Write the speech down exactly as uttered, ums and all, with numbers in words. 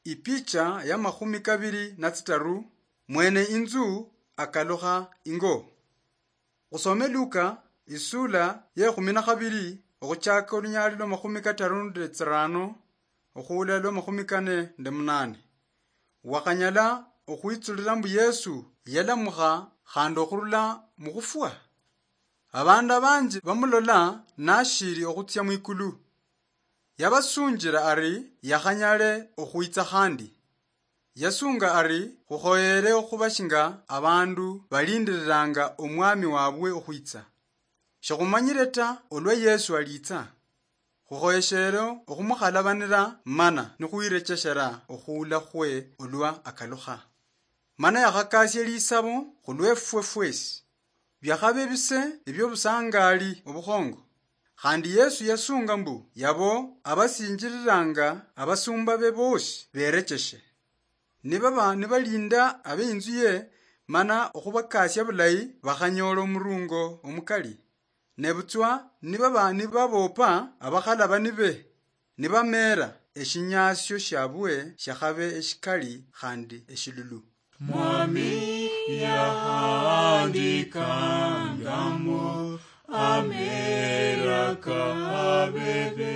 Ipicha ya makhumi kabiri na tsitaru, mwene inzu akalukha ingo. Khusome Luka, isula ye khumi na khabiri, okhuchaka olunyali lwa makhumi kataru nende tsirano, okhuula lwa makhumi kane nende munane. Wakhanyala okhwitsulila mbu Yesu yalamukha khandi okhurula mukhufwa? Abandu abanji bamulola nashiri okhutsia mwikulu. Yabasunjira ari yakhanyale okhwitsa khandi. Yasunga ari, khukhoyere okhuba shinga abandu balindiriranga omwami wabwe okhwitsa. Shikhumanyire ta olwa Yesu aliitsa. Khukhoyeshere okhumukhalabanira mana nikhwirecheshera okhuula khwe olwa akalukha. Mana yakhakasia lisabo khulwefwe fwesi. Biakhabe bise ebiobusangali obukhongo. Khandi Yesu yasunga mbu yabo abasinjiriranga abasumba be bosi berecheshe. Nibaba nibalinda abeinzu ye mana okhubakasia bulayi, bakhanyola omurungo omukali. Nebutswa nibaba nibabopa abakhalabani be, nibameera eshinyasio shiabwe shiakhabe eshikali khandi eshilulu. Mwami yahandikangamo ameera kabebe.